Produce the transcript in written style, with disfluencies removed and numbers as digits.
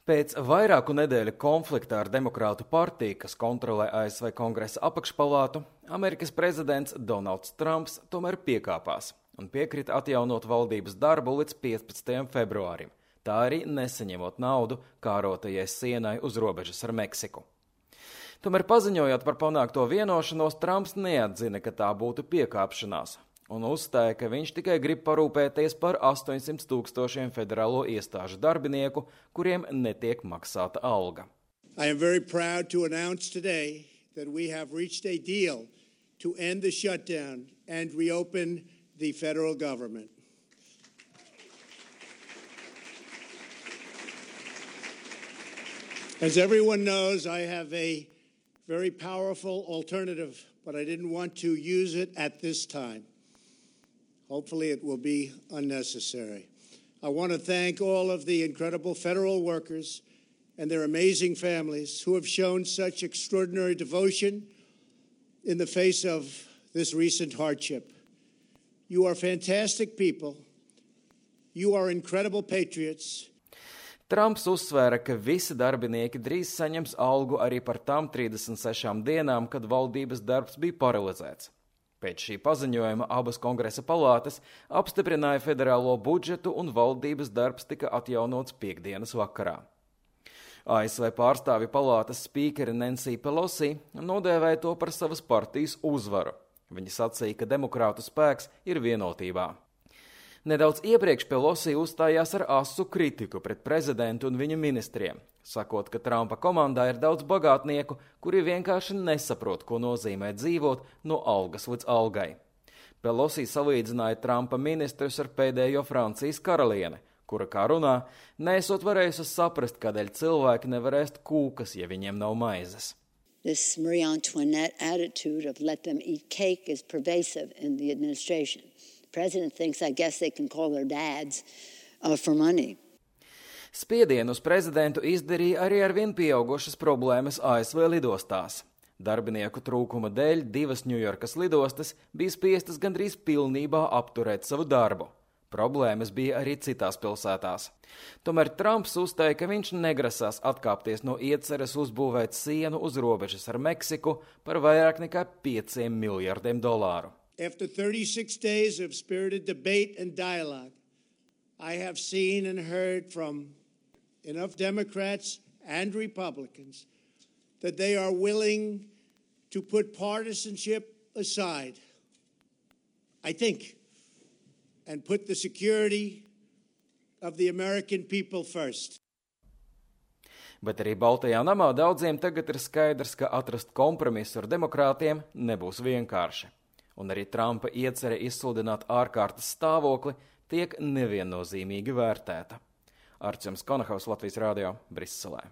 Pēc vairāku nedēļu konflikta ar Demokrātu partiju, kas kontrolē ASV Kongresa apakšpalātu, Amerikas prezidents Donalds Trumps tomēr piekāpās un piekrita atjaunot valdības darbu līdz 15. februārim, tā arī nesaņemot naudu kārotajai sienai uz robežas ar Meksiku. Tomēr paziņojot par panākto vienošanos, Trumps neatzina, ka tā būtu piekāpšanās, un uzstāja, ka viņš tikai grib parūpēties par 800 000 federālo iestāžu darbinieku, kuriem netiek maksāta alga. I am very proud to announce today that we have reached a deal to end the shutdown and reopen the federal government. As everyone knows, I have a very powerful alternative, but I didn't want to use it at this time. Hopefully it will be unnecessary. I want to thank all of the incredible federal workers and their amazing families who have shown such extraordinary devotion in the face of this recent hardship. You are fantastic people. You are incredible patriots. Trumps uzsvēra, ka visi darbinieki drīz saņems algu arī par tām 36 dienām, kad valdības darbs bija paralizēts. Pēc šī paziņojuma abas kongresa palātas apstiprināja federālo budžetu un valdības darbs tika atjaunots piektdienas vakarā. ASV pārstāvju palātas spīkere Nancy Pelosi nodēvēja to par savas partijas uzvaru. Viņa sacīja, ka demokrātu spēks ir vienotībā. Nedaudz iepriekš Pelosi uzstājās ar asu kritiku pret prezidentu un viņa ministriem, sakot, ka Trumpa komandā ir daudz bagātnieku, kuri vienkārši nesaprot, ko nozīmē dzīvot no algas līdz algai. Pelosi salīdzināja Trumpa ministrus ar pēdējo Francijas karalieni, kura, kā runā, neesot varējusi saprast, kādēļ cilvēki nevar ēst kūkas, ja viņiem nav maizes. This Marie Antoinette attitude of let them eat cake is pervasive in the administration. The president thinks, I guess they can call their dads for money. Spiedienu uz prezidentu izdarīja arī ar vien pieaugušas problēmas ASV lidostās. Darbinieku trūkuma dēļ 2 Ņujorkas lidostas bija spiestas gandrīz pilnībā apturēt savu darbu. Problēmas bija arī citās pilsētās. Tomēr Trumps uzstāja, ka viņš negrasās atkāpties no ieceres uzbūvēt sienu uz robežas ar Meksiku par vairāk nekā $5 miljardiem. After 36 days of spirited debate and dialogue, I have seen and heard from enough Democrats and Republicans that they are willing to put partisanship aside, I think, and put the security of the American people first. Bet arī Baltajā namā daudziem tagad ir skaidrs, ka atrast kompromisu ar demokrātiem nebūs vienkārši. Un arī Trumpa iecerē izsludināt ārkārtas stāvokli tiek neviennozīmīgi vērtēta. Arčuns Konahaus, Latvijas radio, Briselē.